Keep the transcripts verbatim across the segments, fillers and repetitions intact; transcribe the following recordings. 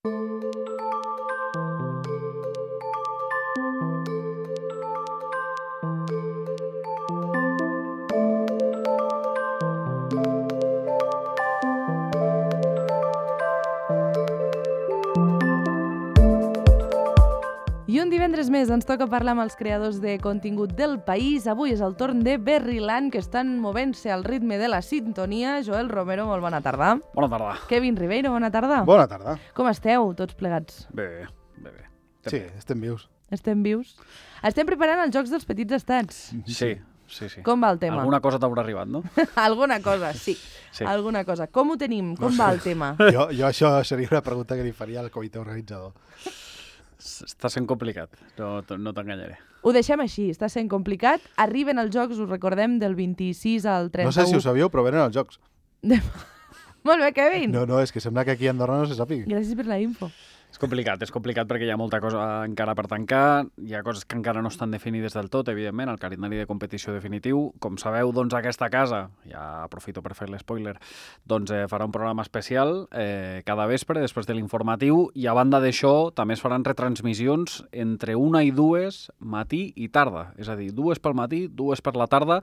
I un divendres més ens toca parlar amb els creadors de contingut del país. Avui és el torn de Berriland, que estan movent-se al ritme de la sintonia. Joel Romero, molt bona tarda. Bona tarda. Kevin Ribeiro, bona tarda. Bona tarda. Com esteu, tots plegats? Bé, bé, bé. Sí, estem vius. Estem vius? Estem preparant els Jocs dels Petits Estats. Sí, sí, sí. Com va el tema? Alguna cosa t'haurà arribat, no? Alguna cosa, sí. Sí. Alguna cosa. Com ho tenim? Com No va sé. el tema? Jo, jo això seria una pregunta que li faria al comitè organitzador. Està sent complicat, no, no t'enganyaré. Ho deixem així, està sent complicat. Arriben els Jocs, us recordem, del vint-i-sis al trenta-u. No sé si ho sabíeu, però venen els jocs. Molt bé, Kevin. No, no, és que sembla que aquí a Andorra no se sàpiga. Gràcies per la info. És complicat, és complicat perquè hi ha molta cosa encara per tancar, hi ha coses que encara no estan definides del tot, evidentment, el calendari de competició definitiu. Com sabeu, doncs aquesta casa, ja aprofito per fer l'espoiler, doncs eh, farà un programa especial eh, cada vespre, després de l'informatiu, i a banda d'això també es faran retransmissions entre una i dues, matí i tarda. És a dir, dues pel matí, dues per la tarda,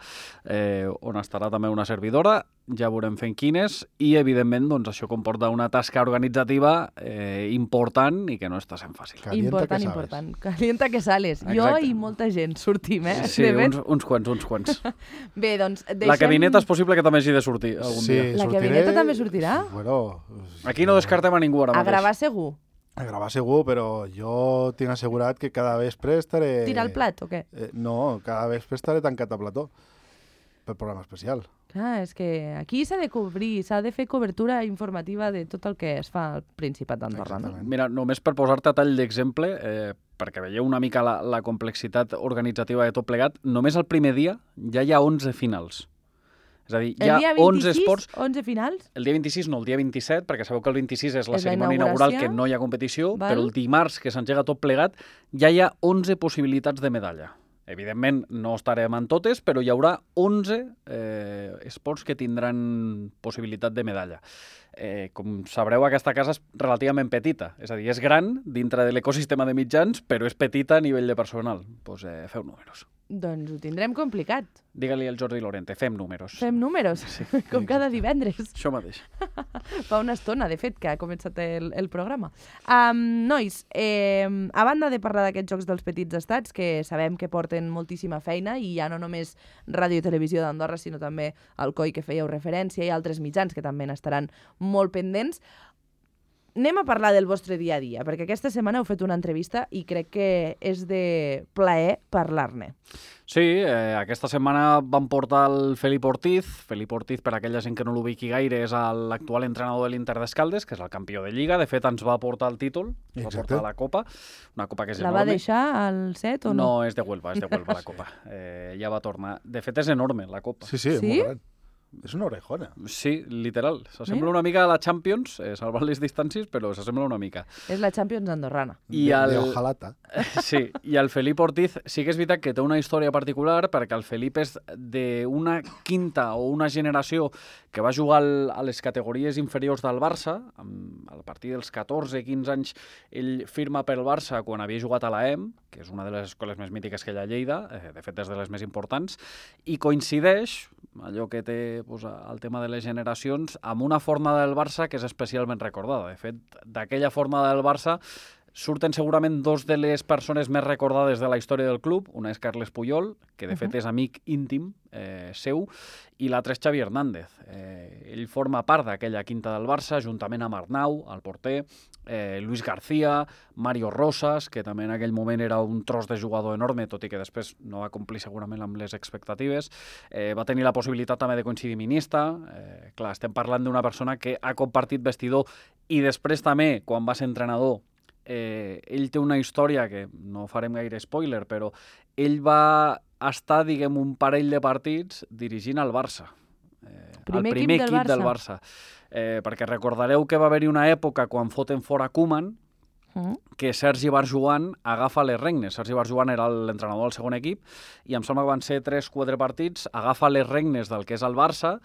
eh, on estarà també una servidora, ja veurem fent quines, i evidentment doncs, això comporta una tasca organitzativa eh, important i que no està sent fàcil. Calienta important, que sales. important. Calienta que sales. Jo Exacte. i molta gent sortim, eh? Sí, De fet. uns, uns quants, uns quants. Bé, doncs deixem... La cabineta és possible que també hagi de sortir algun Sí, dia. La sortiré- cabineta també sortirà? Bueno... Aquí no descartem a ningú ara A mateix. gravar segur. A gravar segur, però jo tinc assegurat que cada vespre estaré... Tirar el plat o què? Eh, no, cada vespre estaré tancat a plató pel programa especial. Clar, és que aquí s'ha de cobrir, s'ha de fer cobertura informativa de tot el que es fa al Principat d'Andorra, no? Exactament. Mira, només per posar-te a tall d'exemple, eh, perquè veieu una mica la, la complexitat organitzativa de tot plegat, només el primer dia ja hi ha onze finals. És a dir, hi El ha dia onze vint-i-sis, esports... onze finals? El dia vint-i-sis no, el dia vint-i-set, perquè sabeu que el vint-i-sis és la És la cerimònia inaugural, inauguració, que no hi ha competició, val. però el dimarts, que s'engega tot plegat, ja hi ha onze possibilitats de medalla. Evidentment, no estarem en totes, però hi haurà onze eh, esports que tindran possibilitat de medalla. Eh, com sabreu, aquesta casa és relativament petita, és a dir, és gran dintre de l'ecosistema de mitjans, però és petita a nivell de personal. Doncs eh, feu números. Doncs ho tindrem complicat. Digue-li al Jordi Lorente, fem números. Fem números, Sí, com cada divendres. Això mateix. Fa una estona, de fet, que ha començat el, el programa. Um, nois, eh, a banda de parlar d'aquests Jocs dels Petits Estats, que sabem que porten moltíssima feina, i ja no només Ràdio i Televisió d'Andorra, sinó també el C O I, que fèieu referència, i altres mitjans que també n'estaran molt pendents, anem a parlar del vostre dia a dia, perquè aquesta setmana heu fet una entrevista i crec que és de plaer parlar-ne. Sí, eh, aquesta setmana van portar el Felip Ortiz. Felip Ortiz, per aquella gent que no l'ubiqui gaire, és l'actual entrenador de l'Inter d'Escaldes, que és el campió de Lliga. De fet, ens va portar el títol, ens va Exacte. portar la Copa, una copa que és La va enorme. deixar al set o no? No, és de Huelva, és de Huelva la copa. Eh, ja va tornar. De fet, és enorme la copa. Sí, sí, Sí? molt gran. És una orejona. Sí, literal. S'assembla Mira. una mica a la Champions, eh, salvant les distàncies, però s'assembla una mica. És la Champions andorrana. I de, el... de Ojalata. Sí, i el Felip Ortiz sí que és veritat que té una història particular, perquè el Felip és d'una quinta o una generació que va jugar al, a les categories inferiors del Barça. Amb, a partir dels catorze quinze anys ell firma pel Barça quan havia jugat a l'A E M, que és una de les escoles més mítiques que hi ha a Lleida, eh, de fet és de les més importants, i coincideix, allò que té pues, el tema de les generacions, amb una forma del Barça que és especialment recordada. De fet, d'aquella forma del Barça surten segurament dos de les persones més recordades de la història del club. Una és Carles Puyol, que de fet és amic íntim eh, seu, i l'altre és Xavi Hernández. Eh, ell forma part d'aquella quinta del Barça, juntament amb Arnau, el porter, eh, Luis García, Mario Rosas, que també en aquell moment era un tros de jugador enorme, tot i que després no va complir segurament amb les expectatives. Eh, va tenir la possibilitat també de coincidir ministre. Eh, clar, estem parlant d'una persona que ha compartit vestidor i després també, quan va ser entrenador, Eh, ell té una història que no farem gaire spoiler, però ell va estar, diguem, un parell de partits dirigint el Barça. Eh, Primer el primer equip del equip del Barça. Eh, perquè recordareu que va haver-hi una època quan foten fora Koeman, Mm. que Sergi Barjuan agafa les regnes. Sergi Barjuan era l'entrenador del segon equip i em sembla que van ser tres quatre partits, agafa les regnes del que és el Barça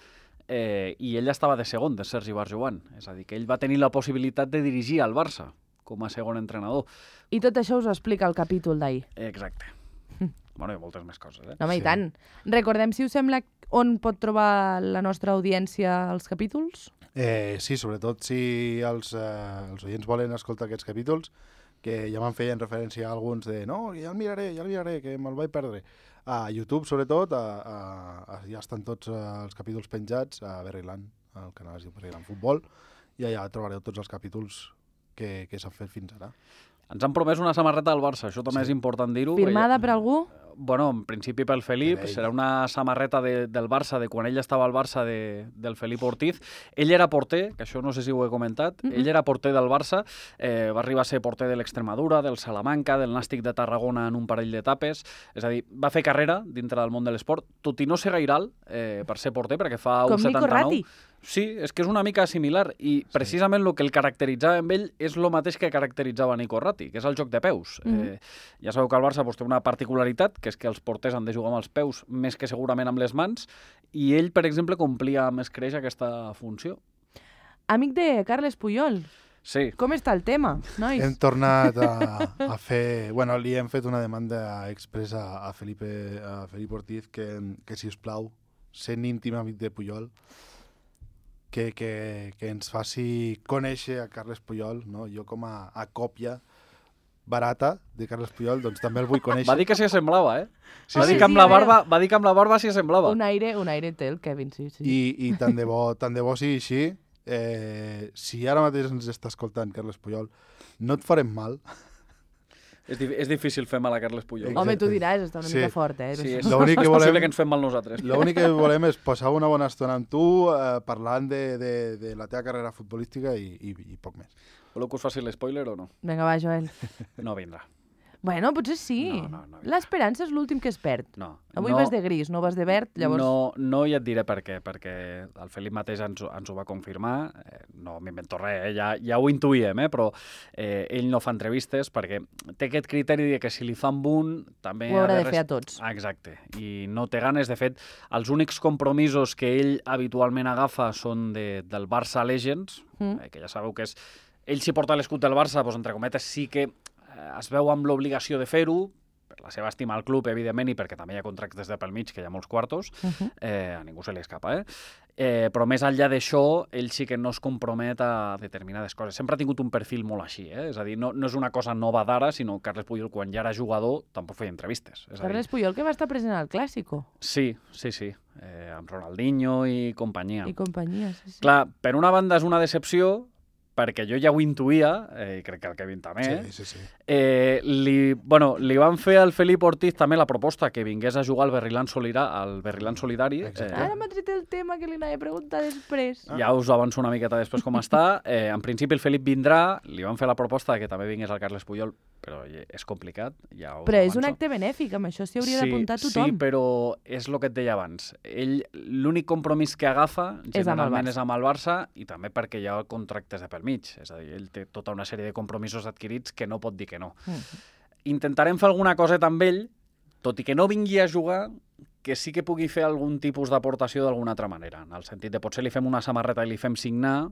eh, i ell estava de segon, de Sergi Barjuan. És a dir, que ell va tenir la possibilitat de dirigir el Barça. com a segon entrenador. I tot això us ho explica el capítol d'ahir. Exacte. Bueno, i moltes més coses, eh? No, home, Sí. i tant. Recordem, si us sembla, on pot trobar la nostra audiència els capítols? Eh, sí, sobretot si els, eh, els oients volen escoltar aquests capítols, que ja me'n feien referència a alguns de no, ja el miraré, ja el miraré, que me'l vaig perdre. A YouTube, sobretot, a, a, a, ja estan tots eh, els capítols penjats a Berryland, al canal es diu Berryland Futbol, i allà trobareu tots els capítols que, que s'han fet fins ara. Ens han promès una samarreta del Barça, això també Sí. és important dir-ho. Firmada per algú? Bueno, en principi pel Felip, Per ell. serà una samarreta de, del Barça, de quan ell estava al Barça, de, del Felip Ortiz. Ell era porter, que això no sé si ho he comentat, mm -hmm. ell era porter del Barça, eh, va arribar a ser porter de l'Extremadura, del Salamanca, del Nàstic de Tarragona en un parell d'etapes, és a dir, va fer carrera dintre del món de l'esport, tot i no ser gaire alt eh, per ser porter, perquè fa Com un Nico setanta-nou. Ratti. Sí, és que és una mica similar i precisament el que el caracteritzava amb ell és el mateix que caracteritzava Nico Ratti, que és el joc de peus. Mhm. eh, ja sabeu que el Barça pues, té una particularitat, que és que els porters han de jugar amb els peus més que segurament amb les mans, i ell, per exemple, complia més creix aquesta funció. Amic de Carles Puyol, Sí, com està el tema, nois? Hem tornat a, a fer... Bueno, li hem fet una demanda expressa a Felipe, a Felip Ortiz que, que si us plau, sent íntim amic de Puyol, que, que, que ens faci conèixer a Carles Puyol, no? Jo com a, a còpia barata de Carles Puyol, doncs també el vull conèixer. va dir que s'hi assemblava, eh? Sí, va, sí. dir que amb Sí, la a veure. barba, va dir que amb la barba s'hi assemblava. Un aire, un aire té el Kevin, sí, sí. I, i tant de bo, tant de bo sigui així. Eh, si ara mateix ens està escoltant Carles Puyol, no et farem mal. És, di és difícil fer mal a Carles Puyol. Exacte. Home, tu diràs, està una Sí. mica fort, eh? Sí, és, L'únic que és volem- possible que ens fem mal nosaltres. L'únic que volem és passar una bona estona amb tu, eh, parlant de, de, de la teva carrera futbolística i, i, i poc més. Voleu que us faci l'espoiler o no? Vinga, va, Joel. No vindrà. Bueno, potser sí. No, no, no. L'esperança és l'últim que es perd. No. Avui no, vas de gris, no vas de verd, llavors... No, no i et diré per què, perquè el Felip mateix ens, ho- ens ho va confirmar, eh, no m'invento res, eh, ja, ja ho intuïem, eh, però eh, ell no fa entrevistes perquè té aquest criteri de que si li fan un també... Ho ha haurà de res- fer a tots. Ah, exacte, i no té ganes. De fet, els únics compromisos que ell habitualment agafa són de, del Barça Legends, Mm. eh, que ja sabeu que és... Ell si porta l'escut del Barça, doncs, entre cometes, sí que eh, es veu amb l'obligació de fer-ho, per la seva estima al club, evidentment, i perquè també hi ha contractes de pel mig, que hi ha molts quartos, Uh -huh. eh, a ningú se li escapa, eh? eh? Però més enllà d'això, ell sí que no es compromet a determinades coses. Sempre ha tingut un perfil molt així, eh? És a dir, no, no és una cosa nova d'ara, sinó que Carles Puyol, quan ja era jugador, tampoc feia entrevistes. És a dir, Carles Puyol, que va estar present al Clàssico sí, sí, sí, eh, amb Ronaldinho i companyia. i companyia. Sí, sí. Clar, per una banda és una decepció, perquè jo ja ho intuïa, eh, i crec que el Kevin també, Sí, sí, sí. eh, li, bueno, li van fer al Felip Ortiz també la proposta que vingués a jugar al Berriland Solidari, al Berriland Solidari. Exacte. Ara m'ha tret el tema que li anava a preguntar després. Ah. Ja us avanço una miqueta després com està. Eh, en principi el Felip vindrà, li van fer la proposta de que també vingués el Carles Puyol, però és complicat, ja us Però és un avanço. acte benèfic, amb això s'hi hauria d'apuntar tothom. Sí, però és el que et deia abans. Ell, l'únic compromís que agafa, És amb el generalment Barça. és amb el Barça, i també perquè hi ha contractes de pel mig. És a dir, ell té tota una sèrie de compromisos adquirits que no pot dir que no. Mm. Intentarem fer alguna coseta amb ell, tot i que no vingui a jugar, que sí que pugui fer algun tipus d'aportació d'alguna altra manera, en el sentit de potser li fem una samarreta i li fem signar,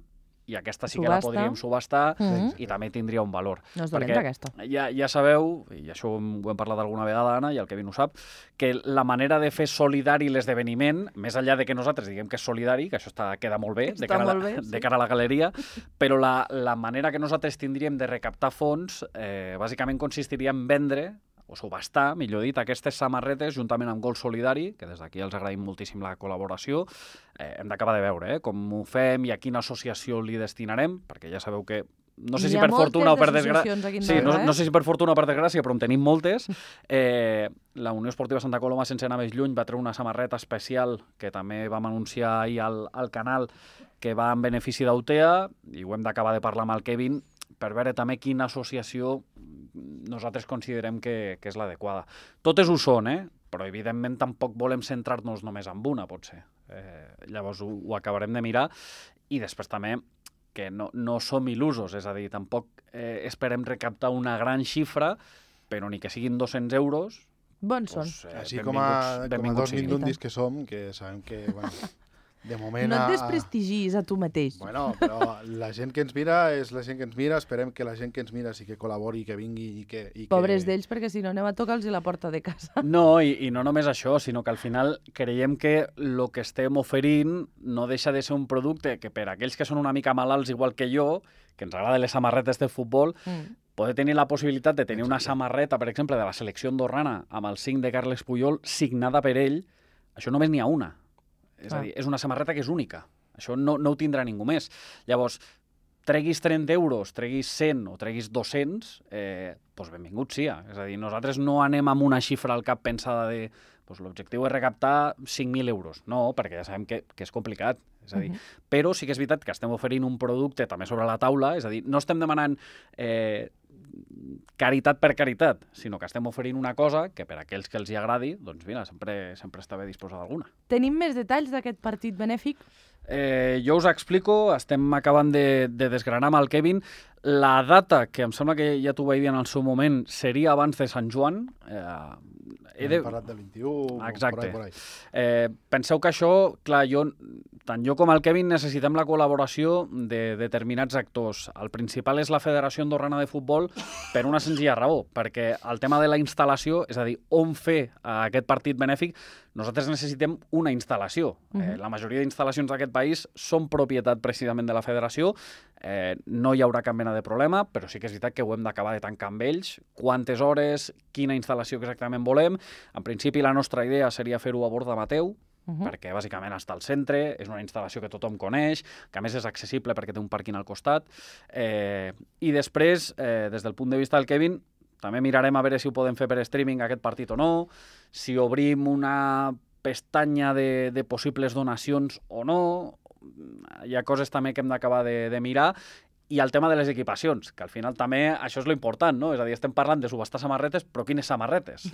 i aquesta sí que la Subhasta. podríem subhastar, Mhm. i també tindria un valor. No és dolenta, aquesta. Ja, ja sabeu, i això ho hem, ho hem parlat alguna vegada, Anna, i el Kevin ho sap, que la manera de fer solidari l'esdeveniment, més enllà de que nosaltres diguem que és solidari, que això està, queda molt bé, Està de cara, molt a la, bé, sí. de cara a la galeria, però la, la manera que nosaltres tindríem de recaptar fons eh, bàsicament consistiria en vendre o subhastar, millor dit, aquestes samarretes juntament amb Gol Solidari, que des d'aquí els agraïm moltíssim la col·laboració. Eh, hem d'acabar de veure eh, com ho fem i a quina associació li destinarem, perquè ja sabeu que no sé N'hi si ha per moltes fortuna o per desgràcia... d'associacions aquí en Sí, Andorra, no, eh? no sé si per fortuna o per desgràcia, però en tenim moltes. Eh, la Unió Esportiva Santa Coloma, sense anar més lluny, va treure una samarreta especial que també vam anunciar ahir al, al canal, que va en benefici d'Autea, i ho hem d'acabar de parlar amb el Kevin, per veure també quina associació nosaltres considerem que, que és l'adequada. Totes ho són, eh? Però evidentment tampoc volem centrar-nos només en una, potser. Eh, llavors ho, ho acabarem de mirar, i després també que no, no som il·lusos, és a dir, tampoc eh, esperem recaptar una gran xifra, però ni que siguin dos-cents euros... Bons són. Doncs, eh, Així com a, com a dos siguin. mindundis que som, que sabem que bueno, de moment... No et a- desprestigis a tu mateix. Bueno, però la gent que ens mira és la gent que ens mira. Esperem que la gent que ens mira sí que col·labori, que vingui i que... I que... Pobres d'ells, perquè si no anem a tocar-los la porta de casa. No, i, i no només això, sinó que al final creiem que el que estem oferint no deixa de ser un producte que per aquells que són una mica malalts igual que jo, que ens agraden les samarretes de futbol, Mm. poder tenir la possibilitat de tenir una samarreta, per exemple, de la selecció andorrana amb el cinc de Carles Puyol signada per ell, això només n'hi ha una. És Ah. a dir, és una samarreta que és única. Això no, no ho tindrà ningú més. Llavors, treguis trenta euros, treguis cent o treguis dos-cents, eh, doncs benvingut sia. És a dir, nosaltres no anem amb una xifra al cap pensada de doncs l'objectiu és recaptar cinc mil euros. No, perquè ja sabem que, que és complicat. És a dir, uh -huh. Però sí que és veritat que estem oferint un producte també sobre la taula, és a dir, no estem demanant eh, caritat per caritat, sinó que estem oferint una cosa que per a aquells que els hi agradi, doncs mira, sempre, sempre està bé disposar d'alguna. Tenim més detalls d'aquest partit benèfic? Eh, jo us explico, estem acabant de, de desgranar amb el Kevin. La data, que em sembla que ja t'ho vaig dir en el seu moment, seria abans de Sant Joan. Eh, he de... Hem parlat del vint-i-u, Exacte. por ahí, por ahí. Eh, penseu que això, clar, jo, tant jo com el Kevin necessitem la col·laboració de determinats actors. El principal és la Federació Andorrana de Futbol per una senzilla raó, perquè el tema de la instal·lació, és a dir, on fer aquest partit benèfic, nosaltres necessitem una instal·lació. Uh-huh. eh, la majoria d'instal·lacions d'aquest país són propietat precisament de la Federació. Eh, no hi haurà cap mena de problema, però sí que és veritat que ho hem d'acabar de tancar amb ells. Quantes hores, quina instal·lació exactament volem. En principi, la nostra idea seria fer-ho a Borda Mateu, Uh -huh. perquè bàsicament està al centre, és una instal·lació que tothom coneix, que a més és accessible perquè té un pàrquing al costat. Eh, I després, eh, des del punt de vista del Kevin, també mirarem a veure si ho podem fer per streaming aquest partit o no, si obrim una pestanya de, de possibles donacions o no. Hi ha coses també que hem d'acabar de, de mirar. I el tema de les equipacions, que al final també això és lo important, no? És a dir, estem parlant de subhastar samarretes, però quines samarretes?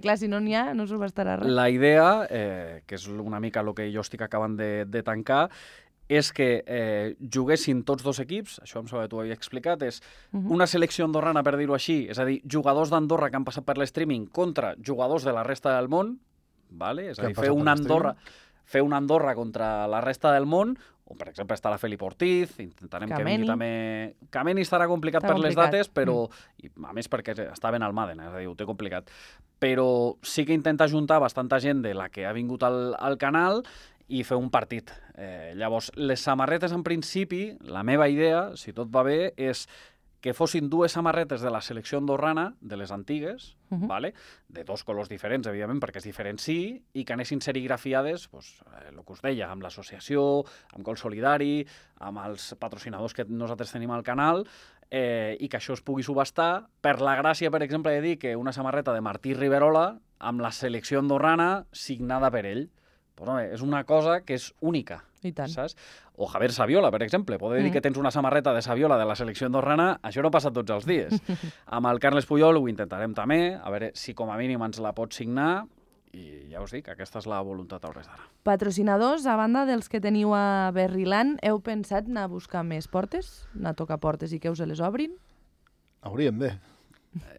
Clar, si no n'hi ha, no subhastarà res. La idea, eh, que és una mica el que jo estic acabant de, de tancar, és que eh, juguessin tots dos equips, això em sembla que t'ho havia explicat, és una selecció andorrana, per dir-ho així, és a dir, jugadors d'Andorra que han passat per l'streaming contra jugadors de la resta del món, vale? És a dir, fer una Andorra, fer una Andorra contra la resta del món, o per exemple estarà Felip Ortiz, intentarem Kameni. que vingui també... Kameni estarà complicat Està per complicat. les dates, però mm. i, a més perquè està ben al Maden, és a dir, ho té complicat. Però sí que intenta juntar bastanta gent de la que ha vingut al, al canal i fer un partit. Eh, llavors, les samarretes en principi, la meva idea, si tot va bé, és que fossin dues samarretes de la selecció andorrana, de les antigues, uh -huh. vale? De dos colors diferents, evidentment, perquè es diferenciï, i que anessin serigrafiades, pues, eh, el que us deia, amb l'associació, amb Col Solidari, amb els patrocinadors que nosaltres tenim al canal, eh, i que això es pugui subhastar, per la gràcia, per exemple, de dir que una samarreta de Martí Riverola amb la selecció andorrana signada per ell. Pues, home, és una cosa que és única. I tant. Saps? O Javier Saviola, per exemple. Poder dir mm. que tens una samarreta de Saviola de la selecció andorrana, això no passa tots els dies. Amb el Carles Puyol ho intentarem també, a veure si com a mínim ens la pot signar, i ja us dic, aquesta és la voluntat a hores d'ara. Patrocinadors, a banda dels que teniu a Berriland, heu pensat anar a buscar més portes? Anar a tocar portes i que us les obrin? Hauríem de.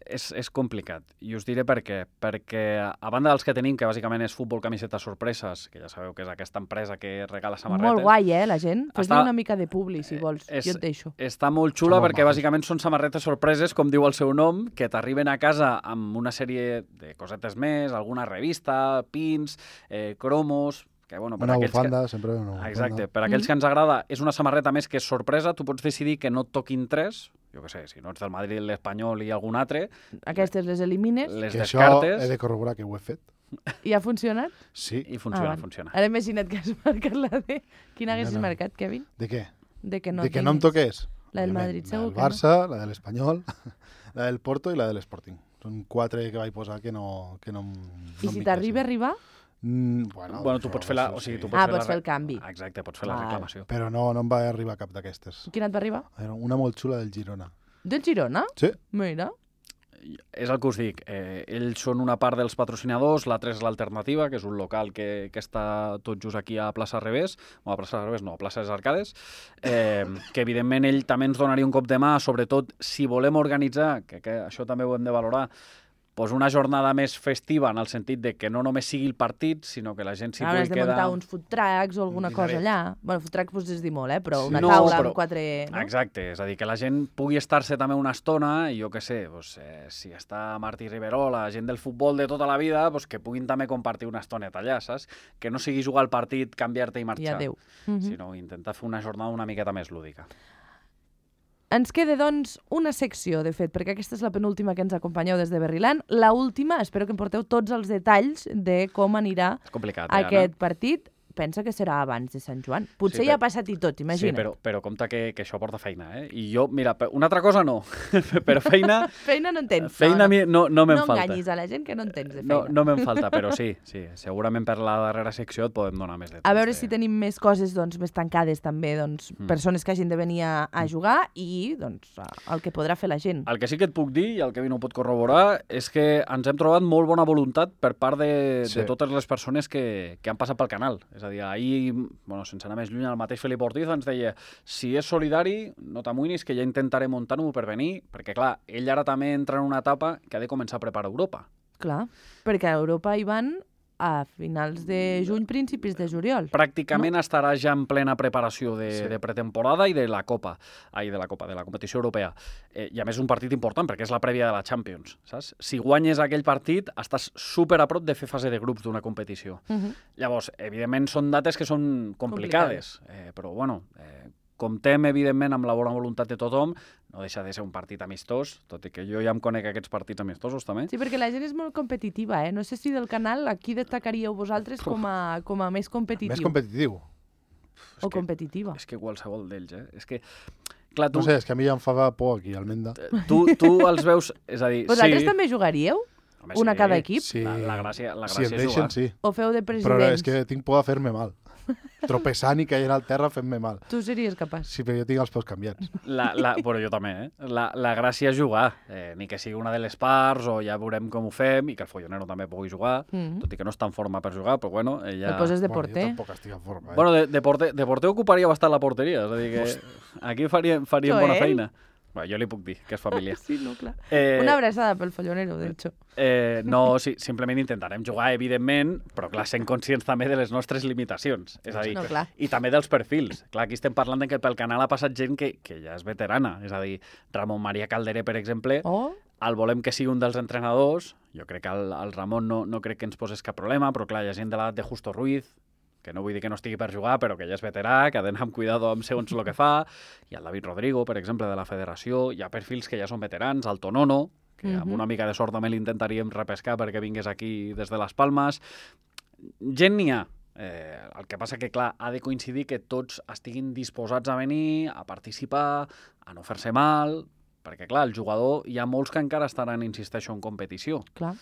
És, és complicat, i us diré per què. Perquè, a banda dels que tenim, que bàsicament és Futbol Camisetes Sorpreses, que ja sabeu que és aquesta empresa que regala samarretes... Molt guai, eh, la gent? Fes-li Està... una mica de publi, si vols. És, jo et deixo. Està molt xula Està perquè molt bàsicament són samarretes sorpreses, com diu el seu nom, que t'arriben a casa amb una sèrie de cosetes més, alguna revista, pins, eh, cromos... Que, bueno, per una aquells bufanda, que... sempre una bufanda. Exacte, per aquells mm. que ens agrada, és una samarreta més que és sorpresa, tu pots decidir que no et toquin tres, jo què sé, si no ets del Madrid, l'Espanyol i algun altre... Aquestes les elimines. Les que descartes... això he de corroborar que ho he fet. I ha funcionat? Sí. I funciona, ah, funciona. Ara imagina't que has marcat la de... Quina haguessis no, no. marcat, Kevin? De què? De que no, de que no em toqués? La del Òbviament, Madrid, la segur del que no. Barça, la de l'Espanyol, la del Porto i la de l'Sporting. Són quatre que vaig posar que no, que no, no I si t'arriba a arribar? Mm, bueno, bueno, tu pots fer la... O sigui, tu pots ah, fer pots la... fer el canvi. Exacte, pots fer la reclamació. Però no, no em va arribar cap d'aquestes. Quina et va arribar? Era una molt xula del Girona. Del Girona? Sí. Mira. És el que us dic, eh, ells són una part dels patrocinadors, l'altra és l'Alternativa, que és un local que, que està tot just aquí a Plaça Revés, o a Plaça Revés no, a Plaça des Arcades, eh, que evidentment ell també ens donaria un cop de mà, sobretot si volem organitzar, que, que això també ho hem de valorar, pues una jornada més festiva en el sentit de que no només sigui el partit, sinó que la gent s'hi Ara pugui has de quedar... muntar uns food trucks o alguna Un cosa dineret. allà. Bueno, food truck pues, és dir molt, eh? Però una No, taula però- amb quatre... No? Exacte, és a dir, que la gent pugui estar-se també una estona i jo què sé, doncs, eh, si està Martí Riverol, la gent del futbol de tota la vida, doncs, que puguin també compartir una estoneta allà, saps? Que no sigui jugar al partit, canviar-te i I marxar, adéu. Mhm. sinó intentar fer una jornada una miqueta més lúdica. Ens queda, doncs, una secció, de fet, perquè aquesta és la penúltima que ens acompanyeu des de Berriland. La última, espero que em porteu tots els detalls de com anirà És complicat, eh, aquest Anna? partit. Pensa que serà abans de Sant Joan. Potser Sí, ja però- ha passat i tot, imagina't. Sí, però, però compte que, que això porta feina, eh? I jo, mira, pe- una altra cosa no, però feina... Feina no en tens. Feina a mi no, no me'n no falta. enganyis a la gent que no en tens de feina. No, no me'n falta, però sí, sí. Segurament per la darrera secció et podem donar més detalls. A veure de... si tenim més coses doncs, més tancades també, doncs, Mm. persones que hagin de venir a, a jugar i doncs, el que podrà fer la gent. El que sí que et puc dir, i el Kevin ho pot corroborar, és que ens hem trobat molt bona voluntat per part de, Sí. de totes les persones que, que han passat pel canal. És a dir, ahir, bueno, sense anar més lluny, el mateix Felip Ortiz ens deia si és solidari, no t'amoïnis, que ja intentaré muntar-ho per venir, perquè, clar, ell ara també entra en una etapa que ha de començar a preparar Europa. Clar, perquè a Europa hi van a finals de juny, principis de juliol. Pràcticament no? estarà ja en plena preparació de, Sí. de pretemporada i de la Copa, ai, de la Copa, de la competició europea. Eh, I a més un partit important, perquè és la prèvia de la Champions, saps? Si guanyes aquell partit, estàs super a prop de fer fase de grups d'una competició. Uh -huh. Llavors, evidentment, són dates que són complicades, eh, però, bueno, eh, comptem, evidentment, amb la bona voluntat de tothom, no deixa de ser un partit amistós, tot i que jo ja em conec aquests partits amistosos, també. Sí, perquè la gent és molt competitiva, eh? No sé si del canal aquí destacaríeu vosaltres com a, com a més competitiu. Més competitiu. O És que- competitiva. És que qualsevol d'ells, eh? És que, clar, tu, No sé, és que a mi ja em fa por aquí, Almenda. tu, tu els veus... És a dir, Vosaltres sí... també jugaríeu? Home, Una sí. cada equip? Sí. La, la gràcia, la Si gràcia em és deixen, jugar. sí. O feu de Però presidents? és que tinc por de fer-me mal. Tropessant i caient al terra fent-me mal. Tu series capaç. Sí, però jo tinc els peus canviats. La, la, però jo també, eh? La, la gràcia és jugar. Eh, ni que sigui una de les parts, o ja veurem com ho fem, i que el Follonero també pugui jugar, Mm. tot i que no està en forma per jugar, però bueno, ella... Et poses de Bueno, porter. jo tampoc estic en forma, eh? Bueno, de, de, porter, de porter ocuparia bastant la porteria, és a dir que aquí faríem, faríem bona Joel. feina. Bueno, jo li puc dir, que és família. Sí, no, clar. Eh, Una abraçada pel Follonero, de hecho. Eh, no, sí, simplement intentarem jugar, evidentment, però clar, sent conscients també de les nostres limitacions. És a dir, No, clar. i també dels perfils. Clar, aquí estem parlant de que pel canal ha passat gent que, que ja és veterana. És a dir, Ramon Maria Calderé, per exemple, Oh, el volem que sigui un dels entrenadors. Jo crec que el, el Ramon no, no crec que ens posés cap problema, però clar, hi ha gent de l'edat de Justo Ruiz, que no vull dir que no estigui per jugar, però que ja és veterà, que ha d'anar amb cuidado amb segons el que fa. Hi ha el David Rodrigo, per exemple, de la federació. Hi ha perfils que ja són veterans, el Tonono, que amb Mhm. una mica de sort també l'intentaríem repescar perquè vingués aquí des de les Palmes. Gent n'hi ha. Eh, el que passa que, clar, ha de coincidir que tots estiguin disposats a venir, a participar, a no fer-se mal, perquè, clar, el jugador, hi ha molts que encara estaran, insisteixo, en competició. clar.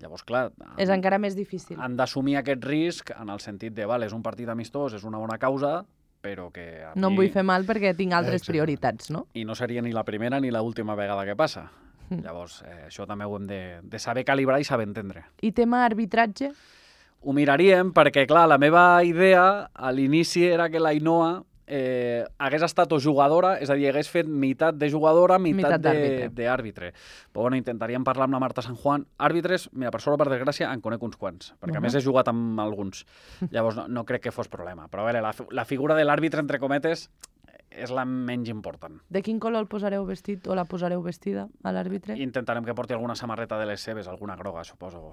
Llavors, clar, És encara més difícil. han d'assumir aquest risc en el sentit de, vale, és un partit amistós, és una bona causa, però que a No em mi... vull fer mal perquè tinc altres Exacte. prioritats, no? I no seria ni la primera ni l'última vegada que passa. Mm. Llavors, eh, això també ho hem de, de saber calibrar i saber entendre. I tema arbitratge? Ho miraríem perquè, clar, la meva idea a l'inici era que la Ainhoa eh, hagués estat o jugadora, és a dir, hagués fet meitat de jugadora, meitat, Meitat d'àrbitre. de- d'àrbitre. Però bueno, intentaríem parlar amb la Marta San Juan. Àrbitres, mira, per sort o per desgràcia, en conec uns quants, perquè a Mhm. més he jugat amb alguns. Llavors no, no crec que fos problema. Però a veure, la, fi- la figura de l'àrbitre, entre cometes, és la menys important. De quin color el posareu vestit o la posareu vestida a l'àrbitre? Intentarem que porti alguna samarreta de les seves, alguna groga, suposo.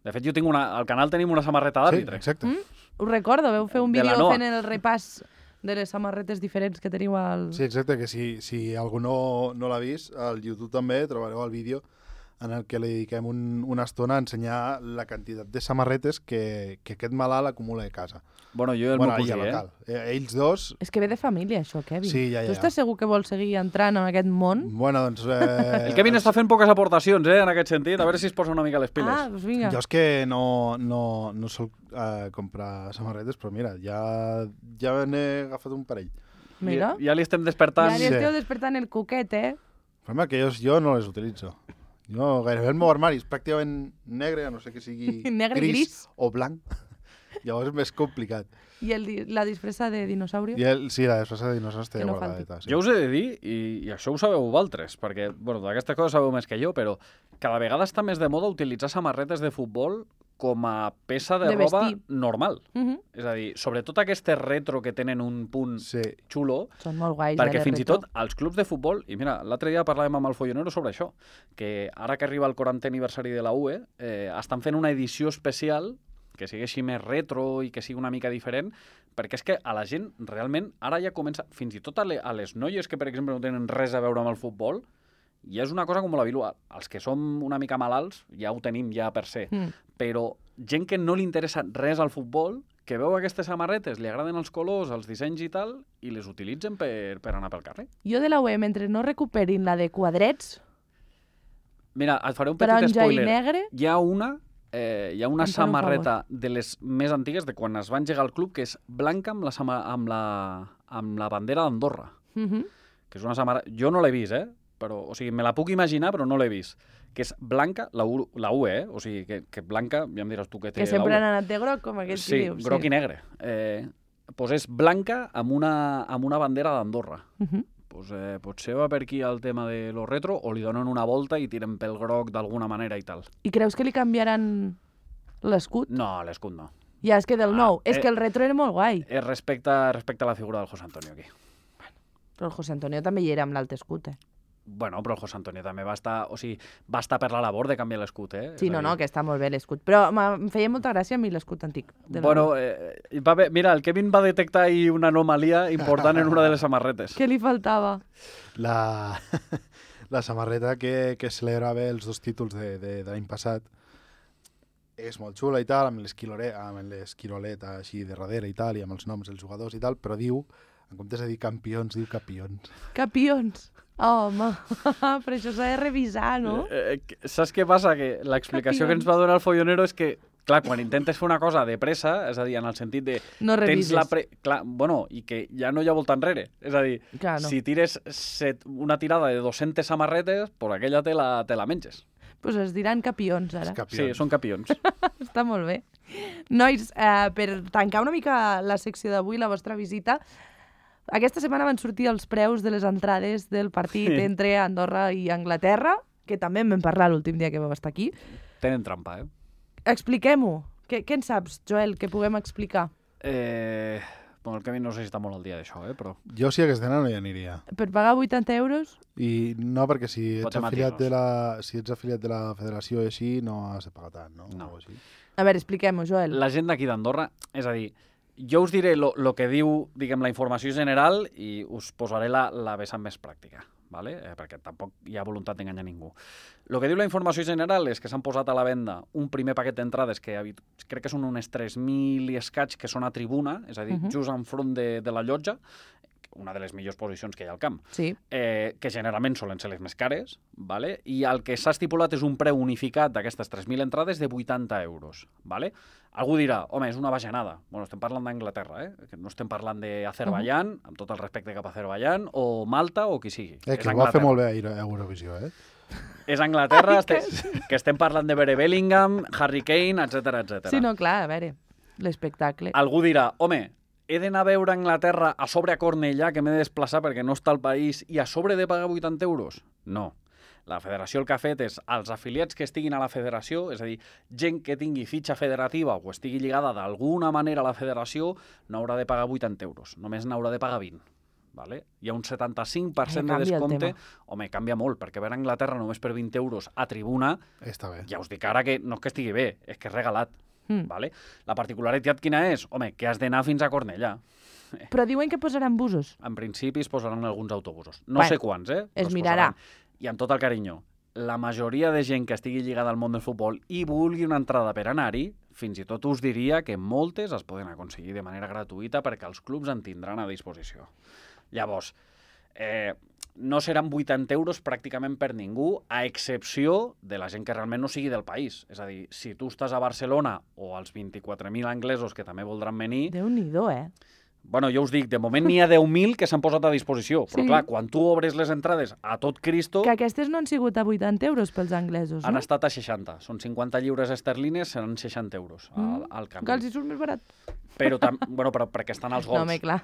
De fet, jo tinc una... Al canal tenim una samarreta Sí, d'àrbitre. exacte. Mm? Us recordo, veu fer un De la vídeo Noa. fent el repàs de les samarretes diferents que teniu al... Sí, exacte, que si, si algú no, no l'ha vist, al YouTube també trobareu el vídeo en el que li dediquem un, una estona a ensenyar la quantitat de samarretes que, que aquest malalt acumula a casa. Bueno, jo i el bueno, meu i cosí, al eh? local. Eh, Ells dos... És que ve de família, això, Kevin. Sí, ja, ja. Tu estàs segur que vols seguir entrant en aquest món? Bueno, doncs... Eh, El Kevin està fent poques aportacions, eh, en aquest sentit. A veure si es posa una mica les piles. Ah, doncs vinga. Jo és que no, no, no sol eh, comprar samarretes, però mira, ja, ja n'he agafat un parell. Mira. Ja, ja li estem despertant. Ja li Sí. esteu despertant el cuquet, eh? El problema que jo, jo no les utilitzo. Jo, gairebé el meu armari és pràcticament negre, a no sé que sigui Negre i gris. o blanc. Llavors és més complicat. I el, di- la disfressa de dinosaurio? I el, sí, la disfressa de dinosaures té Que no guardadeta. Sí. Jo us he de dir, i, i això ho sabeu vosaltres, perquè bueno, d'aquestes coses sabeu més que jo, però cada vegada està més de moda utilitzar samarretes de futbol com a peça de, De roba vestir. normal. Mhm. És a dir, sobretot aquestes retro que tenen un punt Sí. xulo, Són molt guais. perquè eh, de fins i retro. tot als clubs de futbol, i mira, l'altre dia parlàvem amb el Follonero sobre això, que ara que arriba el quarantè aniversari de la U E, eh, estan fent una edició especial que sigui així més retro i que sigui una mica diferent, perquè és que a la gent realment ara ja comença, fins i tot a, le, a les noies que per exemple no tenen res a veure amb el futbol, ja és una cosa com la vilua. Els que som una mica malalts ja ho tenim ja per ser, Mm. però gent que no li interessa res al futbol, que veu aquestes samarretes, li agraden els colors, els dissenys i tal, i les utilitzen per, per anar pel carrer. Jo de la U E, mentre no recuperin la de quadrets, Mira, et faré un petit taronja i spoiler. negre, Hi ha una, eh, hi ha una Em fan un samarreta de les més antigues, de quan es va engegar el club, que és blanca amb la, sama- amb la, amb la bandera d'Andorra. mhm, Que és una samarreta... Jo no l'he vist, eh? Però, o sigui, me la puc imaginar, però no l'he vist. Que és blanca, la U, la U E, eh? O sigui, que, que blanca, ja em diràs tu què té que la sempre U E. han anat de groc, com aquell Sí, que diu. groc i negre. Eh, pues és blanca amb una, amb una bandera d'Andorra. Mhm. Pues, eh, potser va per aquí el tema de lo retro, o li donen una volta i tiren pel groc d'alguna manera i tal. I creus que li canviaran l'escut? No, l'escut no. Ja, és que del Ah, nou. És eh. que el retro era molt guai. És respecte, respecte a la figura del José Antonio aquí. Però el José Antonio també hi era amb l'alt escut, eh? Bueno, però el José Antonio també va estar, o sigui, va estar per la labor de canviar l'escut, eh? Sí, És a no, dir, no, que està molt bé l'escut. Però m'ha- em feia molta gràcia a mi l'escut antic. De la Bueno, U E. eh, va haver, mira, el Kevin va detectar ahí una anomalia important en una de les samarretes. Què li faltava? La, la samarreta que, que celebrava els dos títols de, de, de l'any passat és molt xula i tal, amb l'esquilore- amb l'esquirolet així de darrere i tal, i amb els noms dels jugadors i tal, però diu, en comptes de dir campions, diu capions. Capions. Home, però això s'ha de revisar, no? Eh, eh, saps què passa? Que l'explicació que ens va donar el Follonero és que, clar, quan intentes fer una cosa de pressa, és a dir, en el sentit de... No tens revises. la pre... clar, bueno, i que ja no hi ha volta enrere. És a dir, Clar, no. si tires set, una tirada de dues-centes samarretes, pues aquella te la, te la menges. Pues es diran capions, ara. Els Sí, capions. són capions. Està molt bé. Nois, eh, per tancar una mica la secció d'avui, la vostra visita, aquesta setmana van sortir els preus de les entrades del partit Sí. entre Andorra i Anglaterra, que també en vam parlar l'últim dia que vau estar aquí. Tenen trampa, eh? Expliquem-ho. Què, què en saps, Joel, que puguem explicar? Eh... Bueno, el Kevin no sé si està molt al dia d'això, eh? Però... Jo si hagués d'anar no hi aniria. Per pagar vuitanta euros? I no, perquè si Pot ets, ser afiliat matisos. de la, si ets afiliat de la federació i així, no has de pagar tant, no? No. O així. A veure, expliquem-ho, Joel. La gent d'aquí d'Andorra, és a dir, jo us diré lo, lo que diu, diguem, la informació general i us posaré la, la vessant més pràctica, ¿vale? eh, perquè tampoc hi ha voluntat d'enganyar ningú. El que diu la informació general és que s'han posat a la venda un primer paquet d'entrades que habit- crec que són unes tres mil i escaig que són a tribuna, és a dir, Mhm. just enfront de, de la llotja, una de les millors posicions que hi ha al camp, Sí. eh, que generalment solen ser les més cares, ¿vale? I el que s'ha estipulat és un preu unificat d'aquestes tres mil entrades de vuitanta euros. ¿Vale? Algú dirà, home, és una bajanada. Bueno, estem parlant d'Anglaterra, eh? Que no estem parlant d'Azerbaiyán, amb tot el respecte cap a Azerbaiyán, o Malta, o qui sigui. Eh, És que ho va fer Anglaterra. molt bé a Euro- a Eurovisió, eh? És Anglaterra, este, que estem parlant de Bere Bellingham, Harry Kane, etcètera, etcètera. Sí, no, clar, a veure, l'espectacle. Algú dirà, home, he d'anar a veure Anglaterra a sobre a Cornellà, que m'he de desplaçar perquè no està al país, i a sobre de pagar vuitanta euros? No. La federació el que ha fet és, als afiliats que estiguin a la federació, és a dir, gent que tingui fitxa federativa o estigui lligada d'alguna manera a la federació, no haurà de pagar vuitanta euros, només n'haurà de pagar vint. Vale? Hi ha un setanta-cinc per cent Ai, de canvia el descompte. tema. Home, canvia molt, perquè veure Anglaterra només per vint euros a tribuna, Està bé. ja us dic ara que no és que estigui bé, és que és regalat. Mm. Vale? La particularitat quina és? Home, que has d'anar fins a Cornellà. Però diuen que posaran busos. En principi es posaran alguns autobusos. No Bueno, sé quants, eh? es Però mirarà. posaran. I amb tot el carinyo, la majoria de gent que estigui lligada al món del futbol i vulgui una entrada per anar-hi, fins i tot us diria que moltes es poden aconseguir de manera gratuïta perquè els clubs en tindran a disposició. Llavors, eh, no seran vuitanta euros pràcticament per ningú, a excepció de la gent que realment no sigui del país. És a dir, si tu estàs a Barcelona o als vint-i-quatre mil anglesos que també voldran venir, Déu-n'hi-do, eh? Bueno, jo us dic, de moment n'hi ha deu mil que s'han posat a disposició, però Sí. clar, quan tu obres les entrades a tot Cristo, Que aquestes no han sigut a vuitanta euros pels anglesos, han no? estat a seixanta. Són cinquanta lliures esterlines, seran seixanta euros al, Mm. al canvi. Que els hi surt més barat. Però, tam... bueno, però perquè estan als gols. No, home, clar.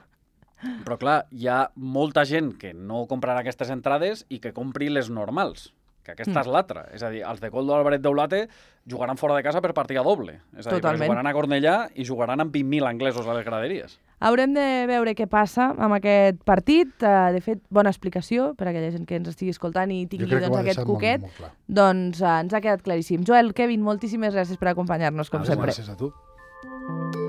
Però clar, hi ha molta gent que no comprarà aquestes entrades i que compri les normals, que aquesta Mm. és l'altra. És a dir, els de Coldo Álvarez d'Eulate jugaran fora de casa per partida doble. És a dir, perquè Totalment. jugaran a Cornellà i jugaran amb vint mil anglesos a les graderies. Haurem de veure què passa amb aquest partit. Uh, de fet, bona explicació per a aquella gent que ens estigui escoltant i Jo tingui crec que ho doncs, ha aquest deixat molt, cuquet. molt clar. Doncs uh, ens ha quedat claríssim. Joel, Kevin, moltíssimes gràcies per acompanyar-nos, com Moltes sempre. gràcies a tu.